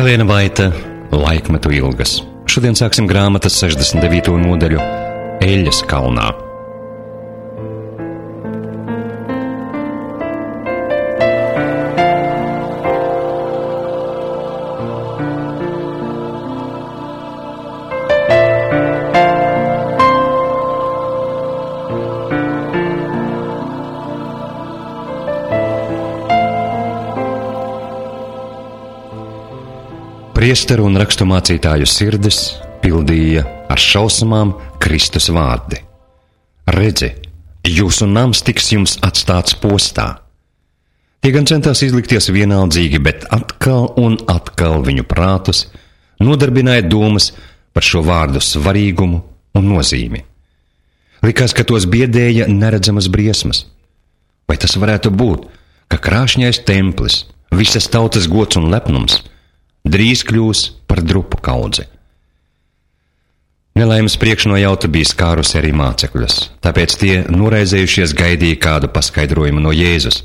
Helēna Vaita, Laikmetu ilgas. Šodien sāksim grāmatas 69. nodaļu Eļļas kalnā. Priesteru un raksturmācītāju sirdis pildīja ar šausmām Kristus vārdi. Redzi, jūsu nams tiks jums atstāts postā. Tie gan centās izlikties vienaldzīgi, bet atkal un atkal viņu prātus nodarbināja domas par šo vārdu svarīgumu un nozīmi. Likās, ka tos biedēja neredzamas briesmas. Vai tas varētu būt, ka krāšņais templis, visas tautas gods un lepnums drīz kļūs par drupu kaudzi? Nelaimes priekšnojauta bija skārusi arī mācekļus, tāpēc tie noraizējušies gaidīja kādu paskaidrojumu no Jēzus.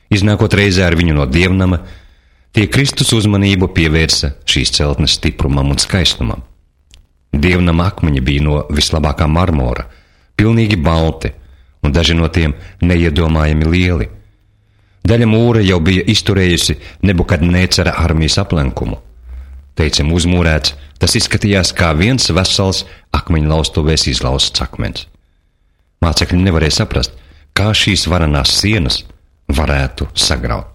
Iznākot reizē ar viņu no dievnama, tie Kristus uzmanību pievērsa šīs celtnes stiprumam un skaistumam. Dievnama akmeņi bija no vislabākā marmora, pilnīgi balti, un daži no tiem neiedomājami lieli. Daļa mūra jau bija izturējusi Nebukadnēcara armijas aplenkumu. Teicam, uzmūrēts, tas izskatījās kā viens vesels akmeņlaustuvēs izlausts akmens. Mācekļi nevarēja saprast, kā šīs varanās sienas varētu sagraut.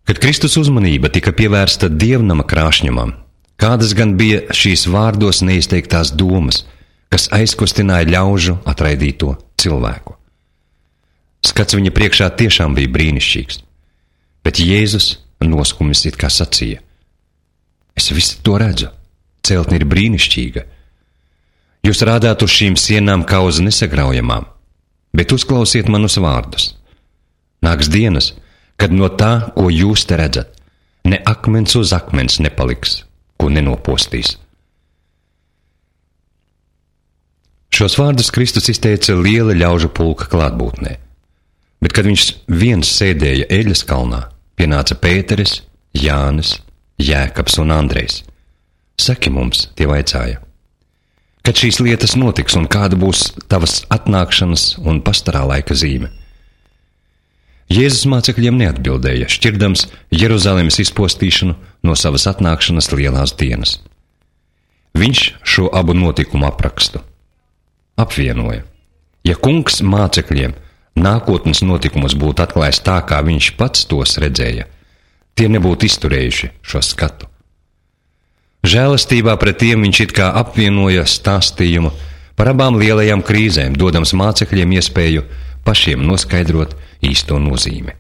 Kad Kristus uzmanība tika pievērsta dievnama krāšņumam, kādas gan bija šīs vārdos neizteiktās domas, kas aizkustināja ļaužu atraidīto cilvēku. Skats viņa priekšā tiešām bija brīnišķīgs, bet Jēzus noskumis it kā sacīja: es visu to redzu, celtne ir brīnišķīga. Jūs rādāt uz šīm sienām kā uz nesagraujamām, bet uzklausiet manus vārdus. Nāks dienas, kad no tā, ko jūs te redzat, ne akmens uz akmens nepaliks, ko nenopostīs. Šos vārdus Kristus izteica liela ļaužu pulka klātbūtnē. Bet, kad viņš viens sēdēja Eļļas kalnā, pienāca Pēteris, Jānis, Jēkabs un Andrejs. Saki mums, tie vaicāja, kad šīs lietas notiks un kāda būs tavas atnākšanas un pastarā laika zīme. Jēzus mācekļiem neatbildēja, šķirdams Jeruzalemes izpostīšanu no savas atnākšanas lielās dienas. Viņš šo abu notikumu aprakstu apvienoja. Ja kungs mācekļiem nākotnes notikumus būtu atklājis tā, kā viņš pats tos redzēja, tie nebūtu izturējuši šo skatu. Žēlastībā pret tiem viņš it kā apvienoja stāstījumu par abām lielajām krīzēm, dodams mācekļiem iespēju pašiem noskaidrot īsto nozīmi.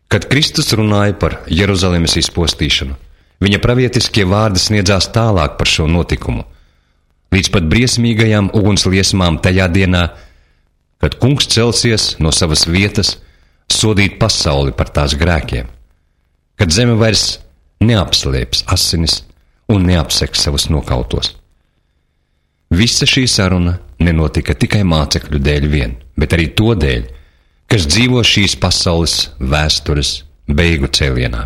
Kad Kristus runāja par Jeruzalemes izpostīšanu, viņa pravietiskie vārdi sniedzās tālāk par šo notikumu, līdz pat briesmīgajām ugunsliesmām tajā dienā, kad kungs celsies no savas vietas sodīt pasauli par tās grēkiem, kad zeme vairs neapslēps asinis un neapseks savus nokautos. Visa šī saruna nenotika tikai mācekļu dēļ vien, bet arī to dēļ, kas dzīvo šīs pasaules vēstures beigu cēlienā.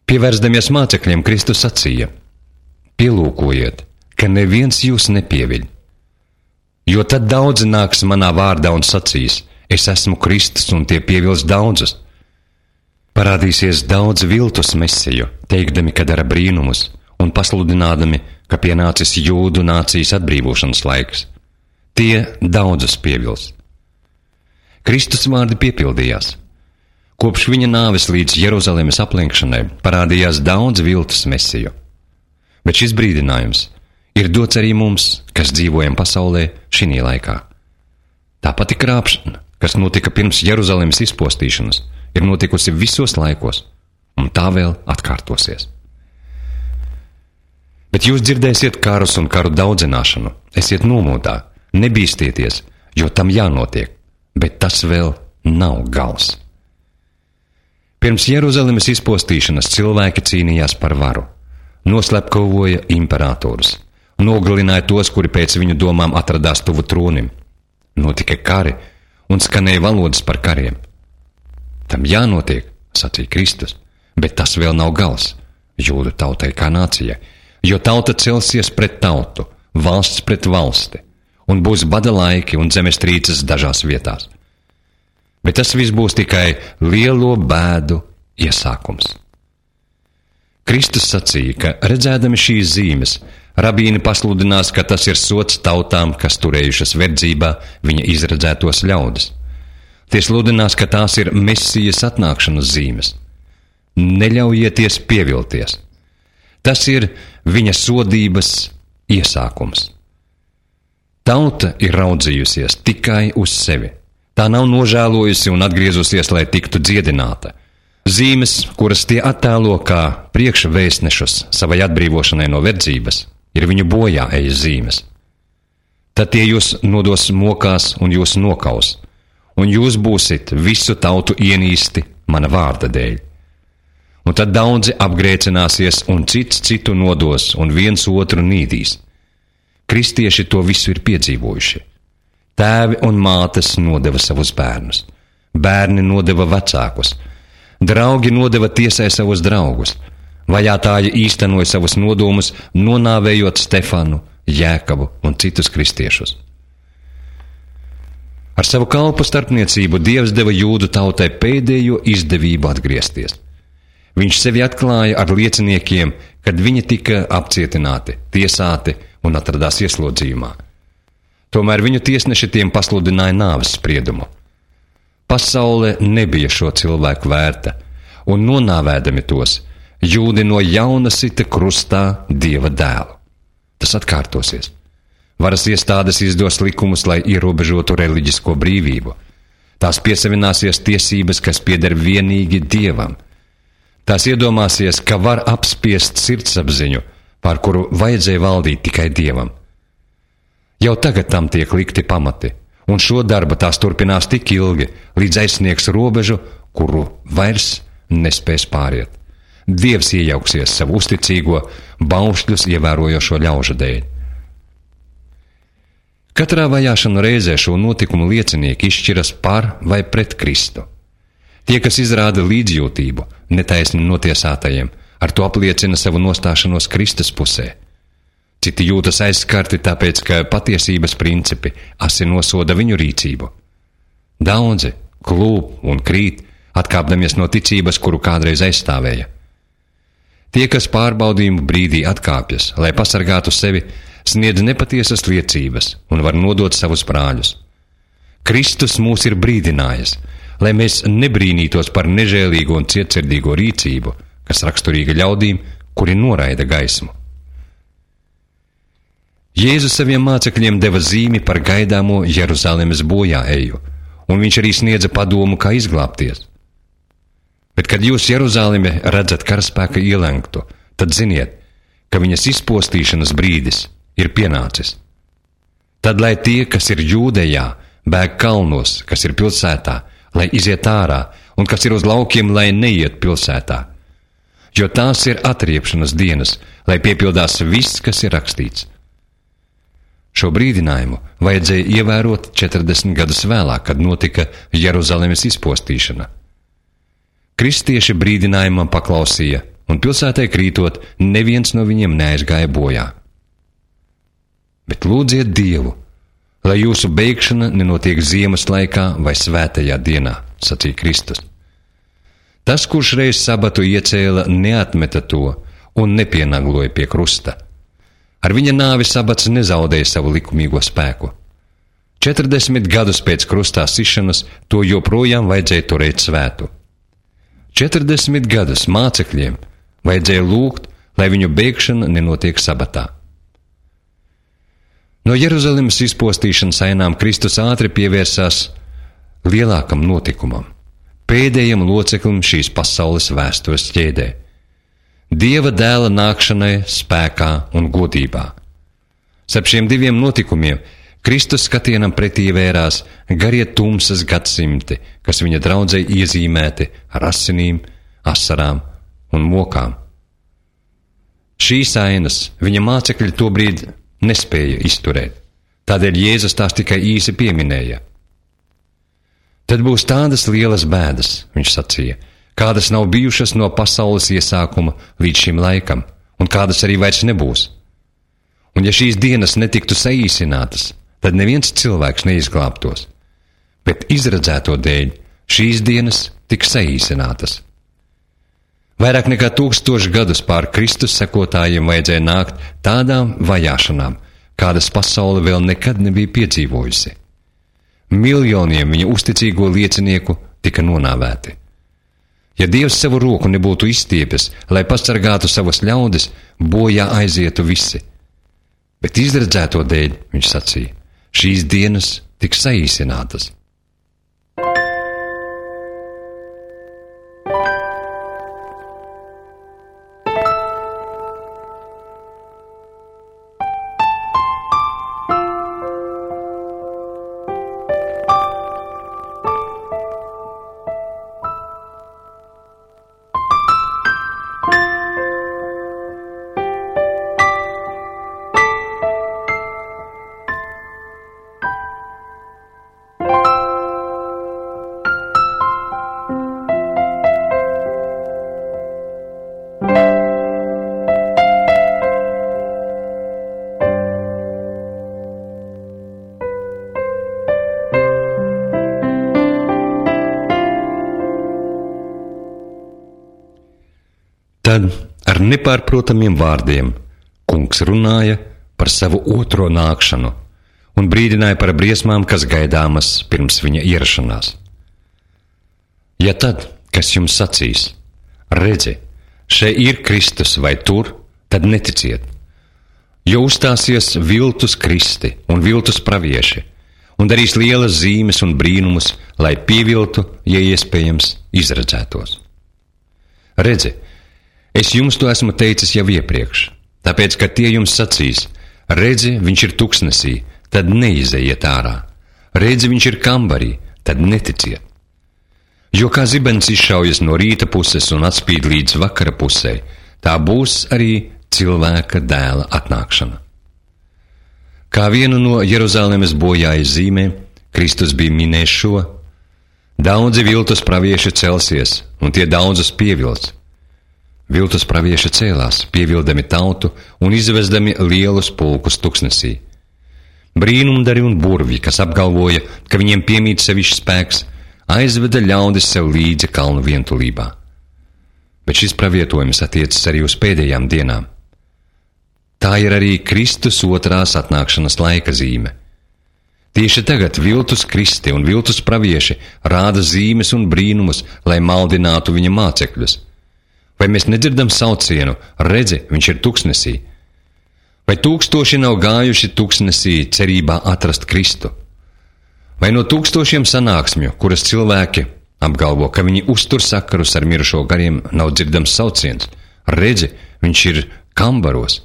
Pievērsdamies mācekļiem, Kristus sacīja: pielūkojiet, ka neviens jūs nepieviļ. Jo tad daudzi nāks manā vārdā un sacīs: es esmu Kristus, un tie pievils daudzus. Parādīsies daudz viltus mesiju, teikdami, ka dara brīnumus, un pasludinādami, ka pienācis jūdu nācijas atbrīvošanas laiks. Tie daudzus pievils. Kristus vārdi piepildījās. Kopš viņa nāves līdz Jeruzalemes aplenkšanai parādījās daudz viltus mesiju. Bet šis brīdinājums ir dots arī mums, kas dzīvojam pasaulē šinī laikā. Tā pati krāpšana, kas notika pirms Jeruzalemes izpostīšanas, ir notikusi visos laikos, un tā vēl atkārtosies. Bet jūs dzirdēsiet karus un karu daudzināšanu, esiet nomodā, nebīstieties, jo tam jānotiek, bet tas vēl nav gals. Pirms Jeruzalemes izpostīšanas cilvēki cīnījās par varu, noslepkavoja imperatorus, nogalināja tos, kuri pēc viņu domām atradās tuvu tronim. Notika kari un skanēja valodas par kariem. Tam jānotiek, sacīja Kristus, bet tas vēl nav gals jūdu tautai kā nācijai, jo tauta celsies pret tautu, valsts pret valsti, un būs bada laiki un zemestrīces dažās vietās. Bet tas viss būs tikai lielo bēdu iesākums. Kristus sacīja, ka redzēdami šīs zīmes, rabīni pasludinās, ka tas ir sots tautām, kas turējušas verdzībā viņa izredzētos ļaudis. Tie sludinās, ka tās ir Mesijas atnākšanas zīmes. Neļaujieties pievilties. Tas ir viņa sodības iesākums. Tauta ir raudzījusies tikai uz sevi. Tā nav nožēlojusi un atgriezusies, lai tiktu dziedināta. Zīmes, kuras tie attēlo kā priekšvēstnešus savai atbrīvošanai no verdzības, ir viņu bojā ejas zīmes. Tad tie jūs nodos mokās un jūs nokaus, un jūs būsit visu tautu ienīsti mana vārda dēļ. Un tad daudzi apgrēcināsies un cits citu nodos un viens otru nīdīs. Kristieši to visu ir piedzīvojuši. Tēvi un mātes nodeva savus bērnus, bērni nodeva vecākus, draugi nodeva tiesai savus draugus, vajātāji īstenoja savus nodomus, nonāvējot Stefanu, Jēkabu un citus kristiešus. Ar savu kalpu starpniecību Dievs deva jūdu tautai pēdējo izdevību atgriezties. Viņš sevi atklāja ar lieciniekiem, kad viņi tika apcietināti, tiesāti un atradās ieslodzījumā. Tomēr viņu tiesneši tiem pasludināja nāves spriedumu. Pasaule nebija šo cilvēku vērta, un nonāvēdami tos, jūdi no jauna sita krustā Dieva dēlu. Tas atkārtosies. Varas iestādes izdos likumus, lai ierobežotu reliģisko brīvību. Tās piesavināsies tiesības, kas pieder vienīgi Dievam. Tās iedomāsies, ka var apspiest sirdsapziņu, pār kuru vajadzēja valdīt tikai Dievam. Jau tagad tam tiek likti pamati, un šo darbu tās turpinās tik ilgi, līdz aizsniegs robežu, kuru vairs nespēs pāriet. Dievs iejauksies savu uzticīgo, baušļus ievērojošo ļaužu dēļ. Katrā vajāšanu reizē šo notikumu liecinieki izšķiras par vai pret Kristu. Tie, kas izrāda līdzjūtību netaisni notiesātajiem, ar to apliecina savu nostāšanos Kristus pusē. Citi jūtas aizskarti tāpēc, ka patiesības principi asi nosoda viņu rīcību. Daudzi klūp un krīt, atkāpdamies no ticības, kuru kādreiz aizstāvēja. Tie, kas pārbaudījumu brīdī atkāpjas, lai pasargātu sevi, sniedz nepatiesas liecības un var nodot savus brāļus. Kristus mūs ir brīdinājis, lai mēs nebrīnītos par nežēlīgo un cietsirdīgo rīcību, kas raksturīga ļaudīm, kuri noraida gaismu. Jēzus saviem mācekļiem deva zīmi par gaidāmo Jeruzalemes bojā eju, un viņš arī sniedza padomu, kā izglābties. Bet, kad jūs Jeruzalemi redzat karaspēka ielenktu, tad ziniet, ka viņas izpostīšanas brīdis ir pienācis. Tad, lai tie, kas ir Jūdejā, bēg kalnos, kas ir pilsētā, lai iziet ārā, un kas ir uz laukiem, lai neiet pilsētā. Jo tās ir atriepšanas dienas, lai piepildās viss, kas ir rakstīts. Šo brīdinājumu vajadzēja ievērot 40 gadus vēlāk, kad notika Jeruzalemes izpostīšana. Kristieši brīdinājumam paklausīja, un pilsētai krītot, neviens no viņiem neaizgāja bojā. Bet lūdziet Dievu, lai jūsu beigšana nenotiek ziemas laikā vai svētajā dienā, sacīja Kristus. Tas, kurš reiz sabatu iecēla, neatmeta to un nepienagloja pie krusta. Ar viņa nāvi sabats nezaudēja savu likumīgo spēku. 40 gadus pēc krustā sišanas to joprojām vajadzēja turēt svētu. 40 gadus mācekļiem vajadzēja lūgt, lai viņu bēgšana nenotiek sabatā. No Jeruzalemes izpostīšanas ainām Kristus ātri pievērsās lielākam notikumam, pēdējam loceklim šīs pasaules vēstures ķēdē. Dieva dēla nākšanai spēkā un godībā. Starp šiem diviem notikumiem Kristus skatienam pretī vērās garie tumsas gadsimti, kas viņa draudzei iezīmēti ar asinīm, asarām un mokām. Šīs ainas viņa mācekļi tobrīd nespēja izturēt, tādēļ Jēzus tās tikai īsi pieminēja. Tad būs tādas lielas bēdas, viņš sacīja, kādas nav bijušas no pasaules iesākuma līdz šim laikam, un kādas arī vairs nebūs. Un ja šīs dienas netiktu saīsinātas, tad neviens cilvēks neizglābtos, bet izredzēto dēļ šīs dienas tiks saīsinātas. Vairāk nekā 1000 gadus pār Kristus sekotājiem vajadzēja nākt tādām vajāšanām, kādas pasaule vēl nekad nebija piedzīvojusi. Miljoniem viņa uzticīgo liecinieku tika nonāvēti. Ja Dievs savu roku nebūtu izstiepis, lai pasargātu savas ļaudis, bojā aizietu visi. Bet izredzēto dēļ, viņš sacīja, šīs dienas tiks saīsinātas. Tad ar nepārprotamiem vārdiem kungs runāja par savu otro nākšanu un brīdināja par briesmām, kas gaidāmas pirms viņa ierašanās. Ja tad, kas jums sacīs, redzi, šeit ir Kristus vai tur, tad neticiet, jo uzstāsies viltus kristi un viltus pravieši un darīs lielas zīmes un brīnumus, lai pieviltu, ja iespējams, izredzētos. Redzi, es jums to esmu teicis jau iepriekš, tāpēc, ka tie jums sacīs, redzi, viņš ir tuksnesī, tad neizejiet ārā, redzi, viņš ir kambarī, tad neticiet. Jo kā zibens izšaujas no rīta puses un atspīd līdz vakara pusē, tā būs arī cilvēka dēla atnākšana. Kā vienu no Jeruzalemes bojājas zīmēm, Kristus bija minējis šo: daudzi viltus pravieši celsies, un tie daudzus pievilts. Viltus pravieši cēlās, pievildami tautu un izvezdami lielus pulkus tuksnesī. Brīnumdari un burvji, kas apgalvoja, ka viņiem piemīt sevišķs spēks, aizveda ļaudis sev līdzi kalnu vientulībā. Bet šis pravietojums attiecas arī uz pēdējām dienām. Tā ir arī Kristus otrās atnākšanas laika zīme. Tieši tagad viltus kristi un viltus pravieši rāda zīmes un brīnumus, lai maldinātu viņa mācekļus. Vai mēs nedzirdam saucienu, redzi, viņš ir tuksnesī? Vai tūkstoši nav gājuši tuksnesī cerībā atrast Kristu? Vai no tūkstošiem sanāksmju, kuras cilvēki apgalvo, ka viņi uztur sakarus ar mirušo gariem, nav dzirdams sauciens, redzi, viņš ir kambaros?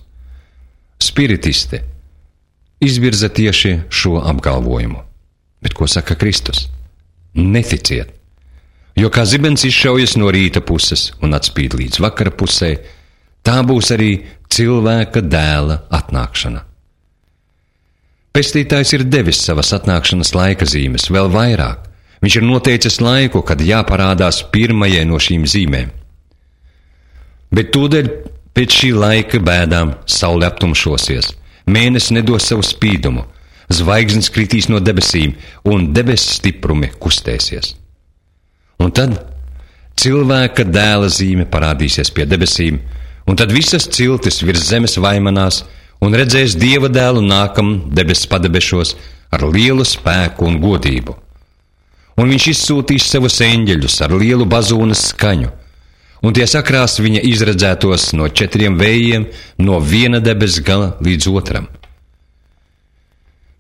Spiritisti izvirza tieši šo apgalvojumu. Bet ko saka Kristus? Neticiet! Jo kā zibens izšaujas no rīta puses un atspīd līdz vakara pusē, tā būs arī cilvēka dēla atnākšana. Pestītājs ir devis savas atnākšanas laika zīmes vēl vairāk. Viņš ir noteicis laiku, kad jāparādās pirmajai no šīm zīmēm. Bet tūdaļ pēc šī laika bēdām saule aptumšosies, mēnesis nedos savu spīdumu, zvaigznes kritīs no debesīm un debesu stiprumi kustēsies. Un tad cilvēka dēla zīme parādīsies pie debesīm, un tad visas ciltis virs zemes vaimanās un redzēs Dieva dēlu nākam debesu padebešos ar lielu spēku un godību. Un viņš izsūtīs savus eņģeļus ar lielu bazūnas skaņu, un tie sakrās viņa izredzētos no 4 vējiem, no viena debes gala līdz otram.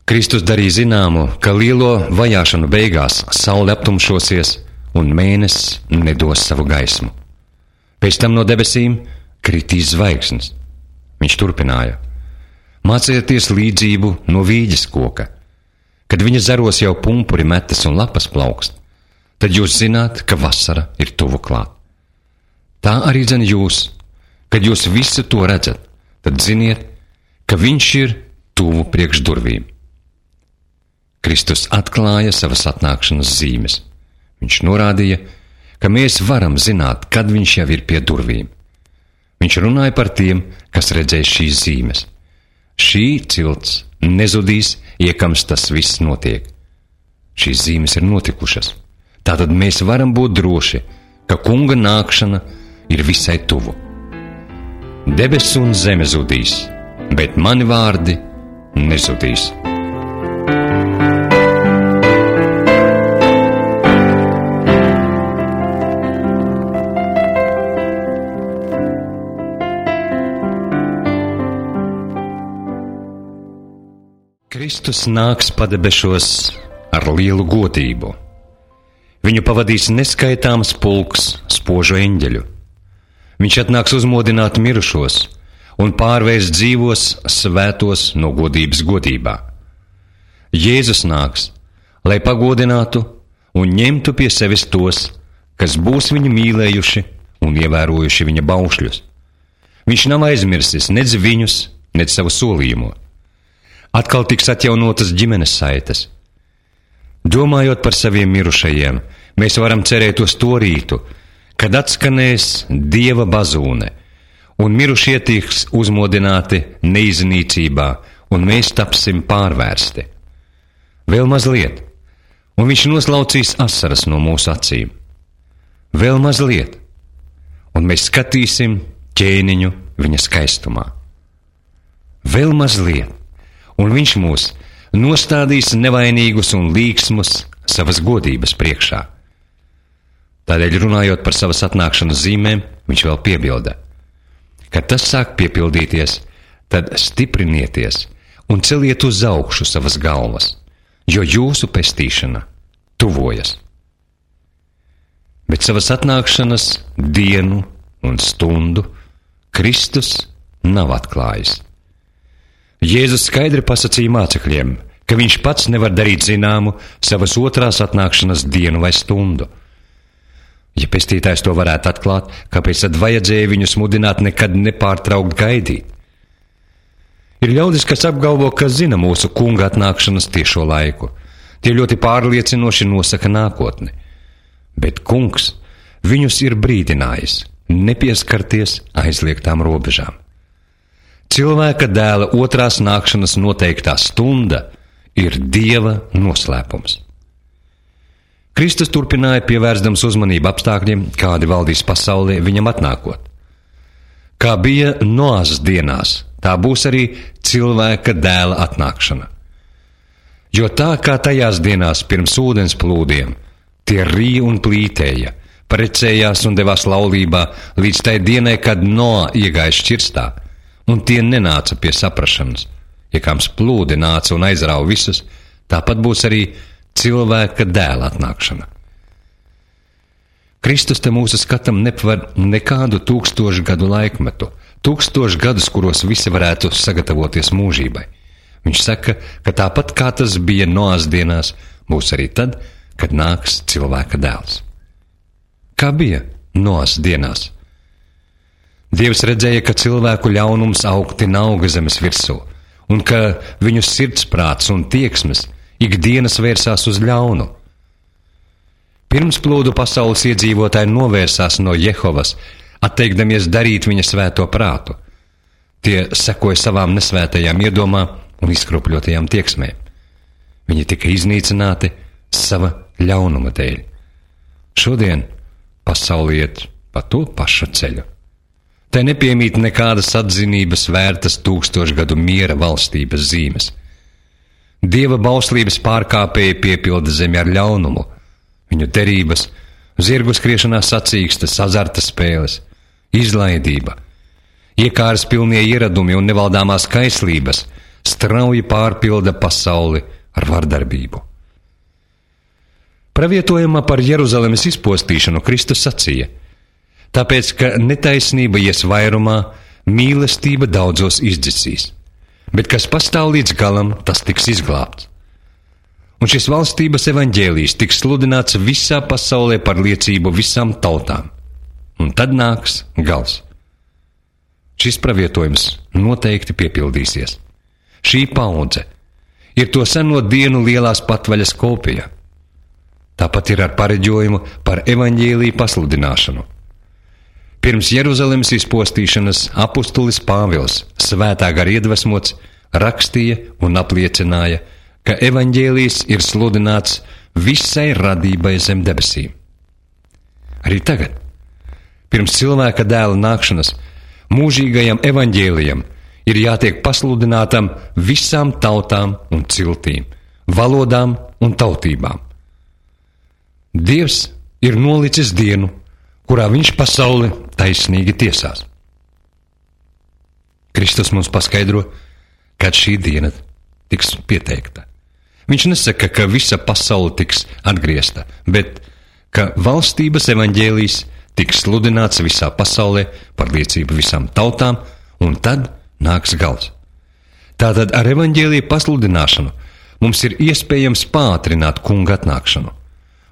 Kristus darīja zināmu, ka lielo vajāšanu beigās saule aptumšosies, un mēnesis nedos savu gaismu. Pēc tam no debesīm kritīs zvaigznes. Viņš turpināja: mācieties līdzību no vīģes koka. Kad viņa zaros jau pumpuri metas un lapas plaukst, tad jūs zināt, ka vasara ir tuvu klāt. Tā arī dzen jūs, kad jūs visu to redzat, tad ziniet, ka viņš ir tuvu priekš durvīm. Kristus atklāja savas atnākšanas zīmes. Viņš norādīja, ka mēs varam zināt, kad viņš jau ir pie durvīm. Viņš runāja par tiem, kas redzēs šīs zīmes. Šī cilts nezudīs, iekams tas viss notiek. Šīs zīmes ir notikušas. Tātad mēs varam būt droši, ka kunga nākšana ir visai tuvu. Debesis un zeme zudīs, bet mani vārdi nezudīs. Kristus nāks padebešos ar lielu godību. Viņu pavadīs neskaitāms pulks spožu eņģeļu. Viņš atnāks uzmodināt mirušos un pārvērst dzīvos svētos no godības godībā. Jēzus nāks, lai pagodinātu un ņemtu pie sevis tos, kas būs viņu mīlējuši un ievērojuši viņa baušļus. Viņš nav aizmirsis nec viņus, nec savu solījumu. Atkal tiks atjaunotas ģimenes saites. Domājot par saviem mirušajiem, mēs varam cerēt uz to rītu, kad atskanēs Dieva bazūne, un mirušie tiks uzmodināti neiznīcībā, un mēs tapsim pārvērsti. Vēl mazliet, un viņš noslaucīs asaras no mūsu acīm. Vēl mazliet, un mēs skatīsim ķēniņu viņa skaistumā. Vēl mazliet, un viņš mūs nostādīs nevainīgus un līksmus savas godības priekšā. Tādēļ, runājot par savas atnākšanas zīmēm, viņš vēl piebilda: kad tas sāk piepildīties, tad stiprinieties un celiet uz augšu savas galvas, jo jūsu pestīšana tuvojas. Bet savas atnākšanas dienu un stundu Kristus nav atklājis. Jēzus skaidri pasacīja mācekļiem, ka viņš pats nevar darīt zināmu savas otrās atnākšanas dienu vai stundu. Ja pestītājs to varētu atklāt, kāpēc tad vajadzēja viņus mudināt nekad nepārtraukt gaidīt? Ir ļaudis, kas apgalvo, ka zina mūsu kunga atnākšanas tiešo laiku. Tie ļoti pārliecinoši nosaka nākotni. Bet kungs viņus ir brīdinājis nepieskarties aizliegtām robežām. Cilvēka dēla otrās nākšanas noteiktā stunda ir Dieva noslēpums. Kristus turpināja, pievērstams uzmanību apstākļiem, kādi valdīs pasaulē viņam atnākot. Kā bija Noāzes dienās, tā būs arī cilvēka dēla atnākšana. Jo tā kā tajās dienās pirms ūdens plūdiem, tie rīja un plītēja, precējās un devās laulībā līdz tai dienai, kad Noā iegāja šķirstā, un tie nenāca pie saprašanas. Ja kāms plūdi nāca un aizrāva visus, tāpat būs arī cilvēka dēla atnākšana. Kristus te mūsu skatam nepvar nekādu 1000 gadu laikmetu, 1000 gadus, kuros visi varētu sagatavoties mūžībai. Viņš saka, ka tāpat kā tas bija Noās dienās, būs arī tad, kad nāks cilvēka dēls. Kā bija Noās dienās? Dievs redzēja, ka cilvēku ļaunums augti auga zemes virsū, un ka viņu sirdsprāts un tieksmes ikdienas vērsās uz ļaunu. Pirms plūdu pasaules iedzīvotāji novērsās no Jehovas, atteikdamies darīt viņa svēto prātu. Tie sekoja savām nesvētajām iedomām un izkropļotajām tieksmēm. Viņi tika iznīcināti sava ļaunuma dēļ. Šodien pasaule iet pa to pašu ceļu. Tai nepiemīt nekādas atzinības vērtas 1000 gadu miera valstības zīmes. Dieva bauslības pārkāpēji piepilda zemi ar ļaunumu, viņu derības, zirgu skriešanā sacīkstas, azarta spēles, izlaidība, iekāras pilnie ieradumi un nevaldāmās kaislības strauji pārpilda pasauli ar vardarbību. Pravietojumā par Jeruzalemes izpostīšanu Kristus sacīja: tāpēc, ka netaisnība ies vairumā, mīlestība daudzos izdzisīs, bet kas pastāv līdz galam, tas tiks izglābts. Un šis valstības evaņģēlijs tiks sludināts visā pasaulē par liecību visām tautām, un tad nāks gals. Šis pravietojums noteikti piepildīsies. Šī paudze ir to seno dienu lielās patvaļas kopija. Tāpat ir ar pareģojumu par evaņģēliju pasludināšanu. Pirms Jeruzalemes izpostīšanas apustulis Pāvils, svētā gara iedvesmots, rakstīja un apliecināja, ka evaņģēlijs ir sludināts visai radībai zem debesīm. Arī tagad, pirms cilvēka dēla nākšanas, mūžīgajam evaņģēlijam ir jātiek pasludinātam visām tautām un ciltīm, valodām un tautībām. Dievs ir nolicis dienu, kurā viņš pasauli taisnīgi tiesās. Kristus mums paskaidro, kad šī diena tiks pieteikta. Viņš nesaka, ka visa pasaule tiks atgriezta, bet ka valstības evaņģēlijs tiks sludināts visā pasaulē par liecību visām tautām, un tad nāks gals. Tātad ar evaņģēlija pasludināšanu mums ir iespējams pātrināt kunga atnākšanu.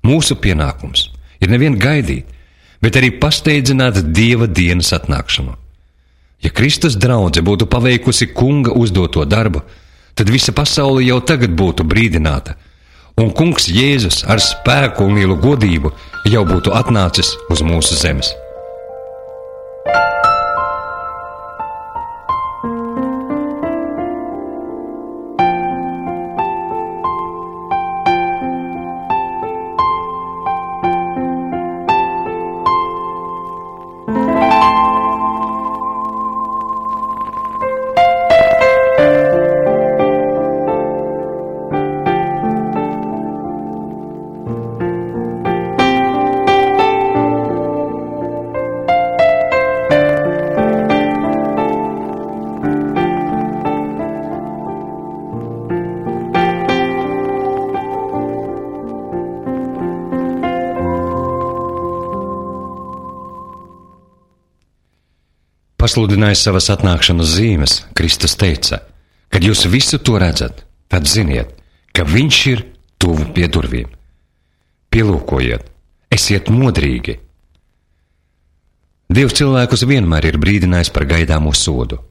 Mūsu pienākums ir nevien gaidīt, bet arī pasteidzināt Dieva dienas atnākšanu. Ja Kristus draudze būtu paveikusi kunga uzdoto darbu, tad visa pasaule jau tagad būtu brīdināta, un kungs Jēzus ar spēku un lielu godību jau būtu atnācis uz mūsu zemes. Pasludinājis savas atnākšanas zīmes, Kristus teica, kad jūs visu to redzat, tad ziniet, ka viņš ir tuvu pie durvīm. Pielūkojiet, esiet modrīgi. Dievs cilvēkus vienmēr ir brīdinājis par gaidāmo sodu.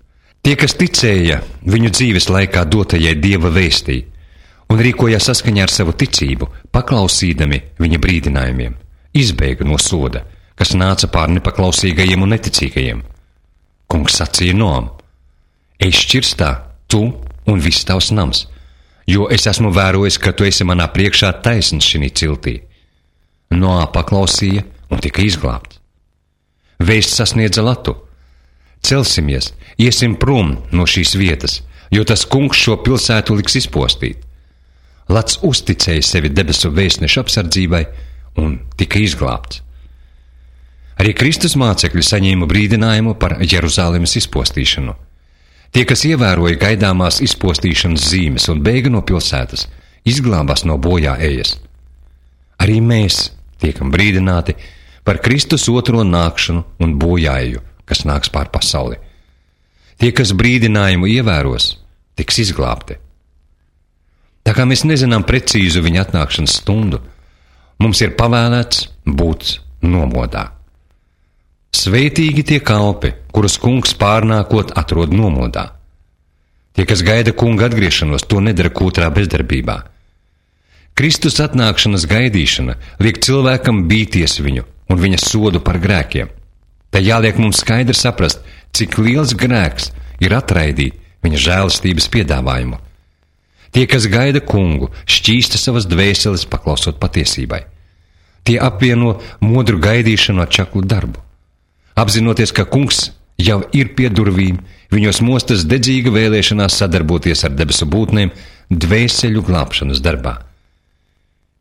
Tie, kas ticēja viņu dzīves laikā dotajai Dieva vēstī un rīkojās saskaņā ar savu ticību, paklausīdami viņa brīdinājumiem, izbēga no soda, kas nāca pār nepaklausīgajiem un neticīgajiem. Kungs sacīja Noam: ej šķirstā, tu un viss tavs nams, jo es esmu vērojis, ka tu esi manā priekšā taisns šinī ciltī. Noā paklausīja un tika izglābts. Vēsts sasniedza Latu: celsimies, iesim prom no šīs vietas, jo tas kungs šo pilsētu liks izpostīt. Lats uzticēja sevi debesu vēstneša apsardzībai un tika izglābts. Arī Kristus mācekļi saņēma brīdinājumu par Jeruzalemes izpostīšanu. Tie, kas ievēroja gaidāmās izpostīšanas zīmes un bēga no pilsētas, izglābās no bojā ejas. Arī mēs tiekam brīdināti par Kristus otro nākšanu un bojāeju, kas nāks pār pasauli. Tie, kas brīdinājumu ievēros, tiks izglābti. Tā kā mēs nezinām precīzu viņa atnākšanas stundu, mums ir pavēlēts būt nomodā. Svētīgi tie kalpi, kurus kungs pārnākot atrod nomodā. Tie, kas gaida kunga atgriešanos, to nedara kūtrā bezdarbībā. Kristus atnākšanas gaidīšana liek cilvēkam bīties viņu un viņa sodu par grēkiem. Tā jāliek mums skaidri saprast, cik liels grēks ir atraidīt viņa žēlastības piedāvājumu. Tie, kas gaida kungu, šķīsta savas dvēseles paklausot patiesībai. Tie apvieno modru gaidīšanu ar čaklu darbu. Apzinoties, ka kungs jau ir pie durvīm, viņos mostas dedzīga vēlēšanās sadarboties ar debesu būtnēm dvēseļu glābšanas darbā.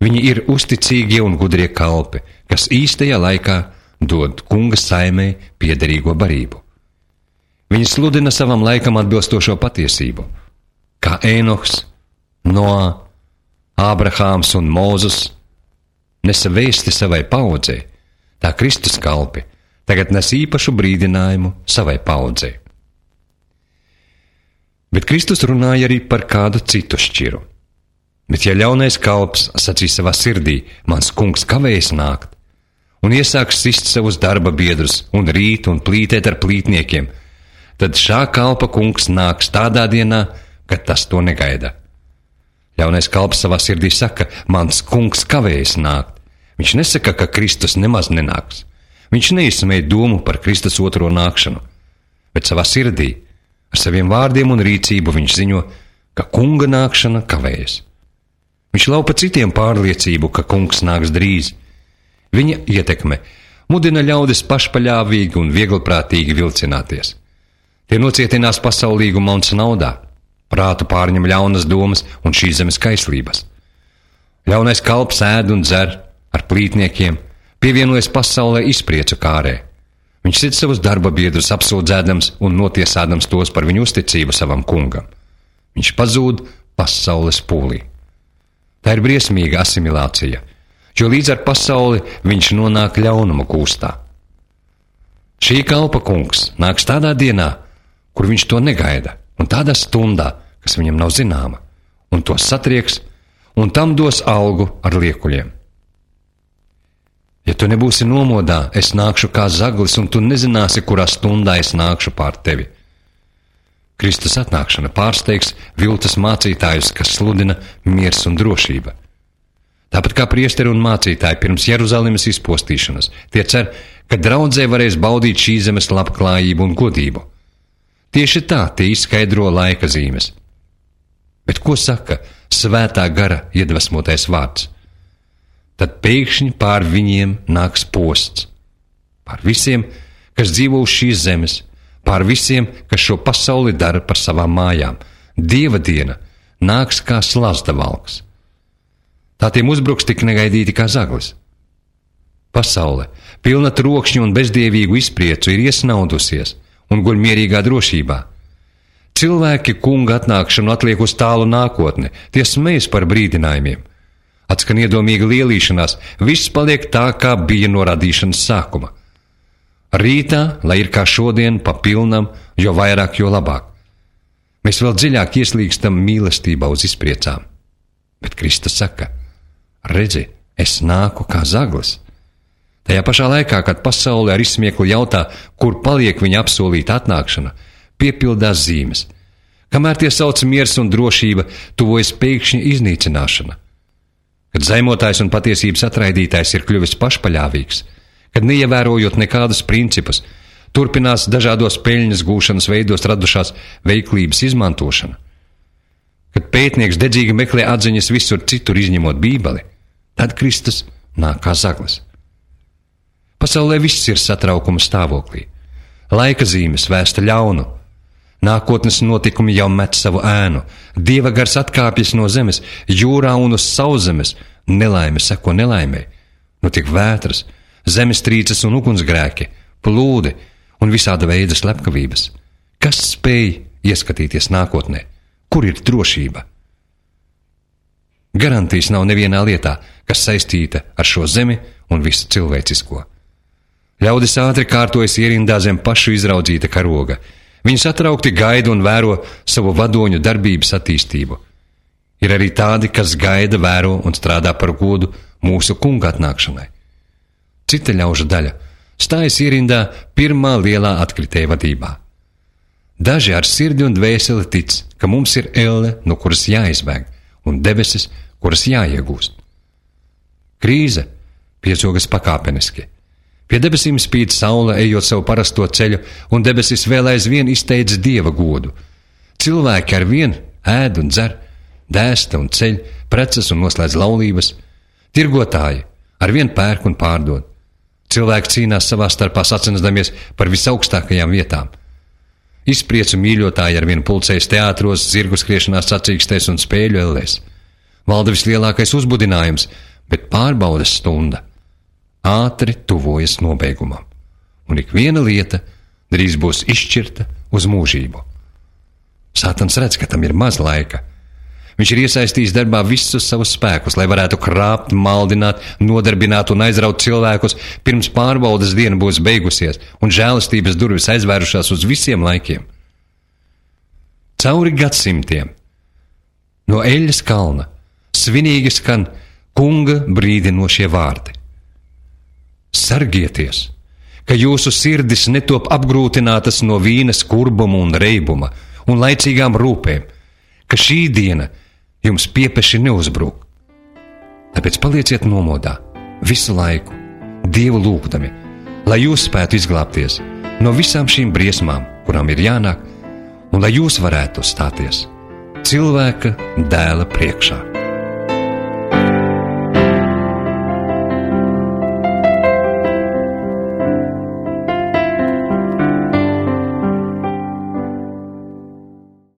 Viņi ir uzticīgie un gudrie kalpi, kas īstajā laikā dod kunga saimei piederīgo barību. Viņi sludina savam laikam atbilstošo patiesību, kā Ēnohs, Noā, Ābrahāms un Mūzes nesa vēsti savai paudzei, tā Kristus kalpi tagad nes īpašu brīdinājumu savai paudzei. Bet Kristus runāja arī par kādu citu šķiru. Bet ja ļaunais kalps sacīs savā sirdī: mans kungs kavējas nākt, un iesāks sist savus darba biedrus un rīt un plītēt ar plītniekiem, tad šā kalpa kungs nāks tādā dienā, kad tas to negaida. Ļaunais kalps savā sirdī saka, mans kungs kavējas nākt. Viņš nesaka, ka Kristus nemaz nenāks. Viņš neizsmēja domu par Kristus otro nākšanu, bet savā sirdī, ar saviem vārdiem un rīcību viņš ziņo, ka kunga nākšana kavējas. Viņš laupa citiem pārliecību, ka kungs nāks drīz. Viņa ietekme mudina ļaudis pašpaļāvīgi un viegliprātīgi vilcināties. Tie nocietinās pasaulīguma un naudā, prātu pārņem ļaunas domas un šīs zemes kaislības. Ļaunais kalps ēd un dzer ar plītniekiem, pievienojas pasaulē izpriecu kārē. Viņš sit savus darba biedrus apsūdzēdams un notiesādams tos par viņu uzticību savam kungam. Viņš pazūd pasaules pūlī. Tā ir briesmīga asimilācija, jo līdz ar pasauli viņš nonāk ļaunuma kūstā. Šī kalpa kungs nāks tādā dienā, kur viņš to negaida, un tādā stundā, kas viņam nav zināma, un to satrieks, un tam dos algu ar liekuļiem. Ja tu nebūsi nomodā, es nākšu kā zaglis, un tu nezināsi, kurā stundā es nākšu pār tevi. Kristus atnākšana pārsteigs viltus mācītājus, kas sludina miers un drošība. Tāpat kā priesteri un mācītāji pirms Jeruzalemes izpostīšanas, tie cer, ka draudzē varēs baudīt šīs zemes labklājību un godību. Tieši tā tie izskaidro laika zīmes. Bet ko saka svētā gara iedvesmotais vārds? Tad pēkšņi pār viņiem nāks posts. Pār visiem, kas dzīvo uz šīs zemes, pār visiem, kas šo pasauli dara par savām mājām. Dieva diena nāks kā slazda valks. Tā tiem uzbruks tik negaidīti kā zaglis. Pasaule, pilna trokšņu un bezdievīgu izpriecu, ir iesnaudusies un guļ mierīgā drošībā. Cilvēki kunga atnākšanu atliek uz tālu nākotni, tie smejas par brīdinājumiem. Atskan iedomīga lielīšanās, viss paliek tā, kā bija no radīšanas sākuma. Rītā, lai ir kā šodien, pa pilnam, jo vairāk, jo labāk. Mēs vēl dziļāk ieslīgstam mīlestībā uz izpriecām. Bet Kristus saka, redzi, es nāku kā zaglis. Tajā pašā laikā, kad pasaule ar izsmieklu jautā, kur paliek viņa apsolīta atnākšana, piepildās zīmes. Kamēr tie sauc miers un drošība, tuvojas pēkšņa iznīcināšana. Kad zaimotājs un patiesības atraidītājs ir kļuvis pašpaļāvīgs, kad neievērojot nekādus principus, turpinās dažādos peļņas gūšanas veidos radušās veiklības izmantošana. Kad pētnieks dedzīgi meklē atziņas visur citur izņemot Bībeli, tad Kristus nāk kā zaglis. Pasaulē viss ir satraukuma stāvoklī. Laika zīmes vēsta ļaunu. Nākotnes notikumi jau met savu ēnu. Dieva gars atkāpjas no zemes, jūrā un uz sauszemes. Nelaime seko nelaimei. Notiek vētras, zemestrīces un ugunsgrēki, plūdi un visāda veida slepkavības. Kas spēj ieskatīties nākotnē? Kur ir drošība? Garantijas nav nevienā lietā, kas saistīta ar šo zemi un visu cilvēcisko. Ļaudis ātri kārtojas ierindā zem pašu izraudzīta karoga. Viņi satraukti gaida un vēro savu vadoņu darbības attīstību. Ir arī tādi, kas gaida, vēro un strādā par godu mūsu kunga atnākšanai. Cita ļaužu daļa stājas ierindā pirmā lielā atkritēja vadībā. Daži ar sirdi un dvēseli tic, ka mums ir elle, no kuras jāizbēg, un debesis, kuras jāiegūst. Krīze piezogas pakāpeniski. Pie debesīm spīd saule, ejot savu parasto ceļu, un debesis vēl aizvien izteidz Dieva godu. Cilvēki ar vien ēd un dzer, dēsta un ceļ, preces un noslēdz laulības. Tirgotāji ar vien pērk un pārdod. Cilvēki cīnās savā starpā sacensdamies par visaugstākajām vietām. Izpriecu mīļotāji ar vien pulcējas teātros, zirgu skriešanās sacīkstēs un spēļu ellēs. Valda vislielākais uzbudinājums, bet pārbaudes stunda ātri tuvojas nobeigumam, un ik viena lieta drīz būs izšķirta uz mūžību. Sātans redz, ka tam ir maz laika. Viņš ir iesaistījis darbā visus savus spēkus, lai varētu krāpt, maldināt, nodarbināt un aizraut cilvēkus, pirms pārbaudas diena būs beigusies un žēlastības durvis aizvērušās uz visiem laikiem. Cauri gadsimtiem no Eļas kalna svinīgi skan kunga brīdinošie vārdi. Sargieties, ka jūsu sirdis netop apgrūtinātas no vīna skurbuma un reibuma un laicīgām rūpēm, ka šī diena jums piepeši neuzbrūk. Tāpēc palieciet nomodā visu laiku, Dievu lūgdami, lai jūs spētu izglābties no visām šīm briesmām, kurām ir jānāk, un lai jūs varētu stāties Cilvēka Dēla priekšā.